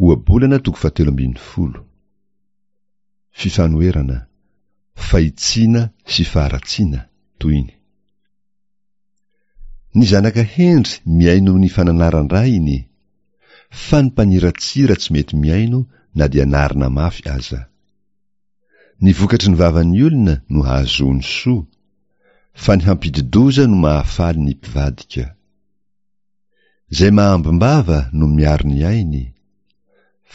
Ohabolana toko fahatelo ambinifolo. Fifanoherana, fahitsiana sy faharatsiana, tohiny. Ny zanaka hendry mihaino ny fananaran-drainy, fa ny mpaniratsira tsy mety mihaino na dia anarina mafy aza. Ny vokatry ny vavan'ny olona no hahazoany soa, fa ny hampidi-doza no mahafaly ny mpivadika. Izay mahambim-bava no miaro ny ainy,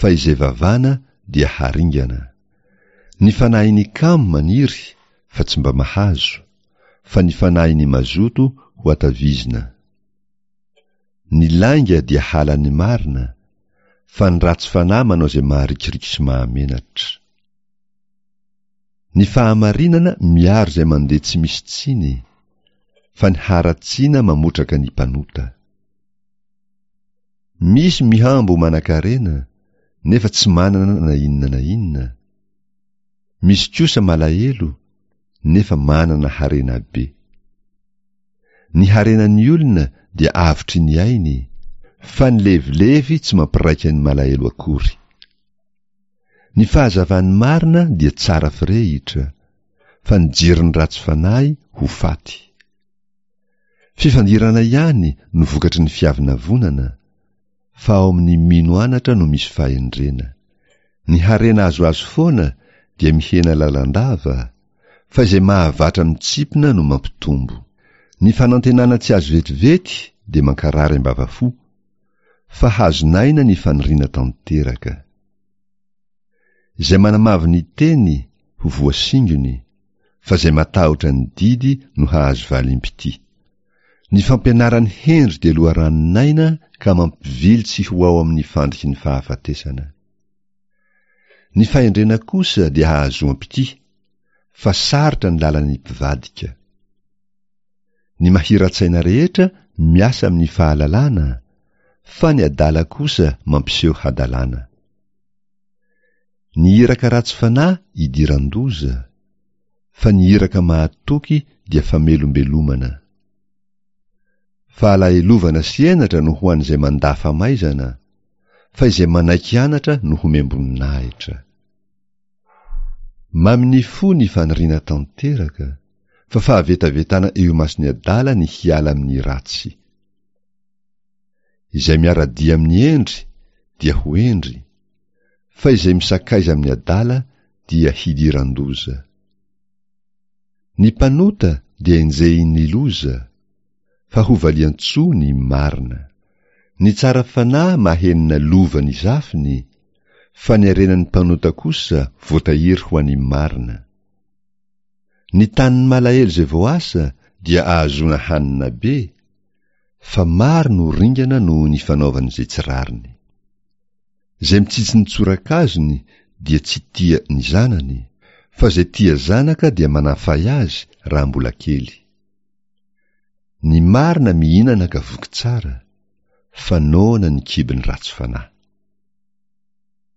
fa izay vavana dia haringana. Ny fanahin'ny kamo maniry fa tsy mba mahazo, fa ny fanahin'ny mazoto ho atavizina. Ny lainga dia halan'ny marina, fa ny ratsy fanahy manao izay maharikoriko sy mahamenatra. Ny fahamarinana miaro izay mandeha tsy misy tsiny, fa ny haratsiana mamotraka ny mpanota. Misy mihambo ho manankarena, nefa tsy manana na inona na inona. Misy kosa malahelo, nefa manana harena be. Ny harenan'ny olona dia avotry ny ainy, fa ny levilevy tsy mampiraika ny malahelo akory. Ny fahazavan'ny marina dia tsara firehitra, fa ny jiron'ny ratsy fanahy ho faty. Fifandirana ihany no vokatry ny fiavonavonana, fa ao amin'ny mino anatra no misy fahendrena. Ny harena azoazo foana dia mihena lalandava, fa izay mahavatra mitsipona no mampitombo. Ny fanantenana tsy azo vetivety dia mankarary am-bavafo, fa hazon'aina ny faniriana tanteraka. Izay manamavo ny teny ho voasingony, fa izay matahotra ny didy no hahazo valim-pitia. Ny fampianaran'ny hendry dia loharanon'aina ka mampivily tsy ho ao amin'ny fandriky ny fahafatesana. Ny fahendrena kosa dia hahazoam-pitia, fa sarotra ny lalan'ny mpivadika. Ny mahira-tsaina rehetra miasa amin'ny fahalalana, fa ny adala kosa mampiseho hadalana. Ny iraka ratsy fanahy idiran-doza, fa ny iraka mahatoky dia famelombelomana. Fahalahelovana sy henatra no ho an'izay mandà famaizana, fa izay manaiky anatra no homem-boninahitra. Mamin'ny fo ny faniriana tanteraka, fa fahavetavetana eo imason'ny adala ny hiala amin'ny ratsy. Izay miara-dia amin'ny hendry dia ho hendry, fa izay misakaiza amin'ny adala dia hidiran-doza. Ny mpanota dia enjehin'ny loza, fa ho valian-tsoa ny marina. Ny tsara fanahy mahenina lova ny zafiny, fa ny harenan'ny mpanota kosa voatahiry ho an'ny marina. Ny tanin'ny malahelo izay voaasa dia ahazoana hanina be, fa maro no ringana noho ny fanaovany izay tsy rariny. Izay mitsitsy ny tsorakazony dia tsy tia ny zanany, fa izay tia zanaka dia manafay azy raha mbola kely. Ny marina mihinana ka voky tsara, fa noana ny kibon'ny ratsy fanahy.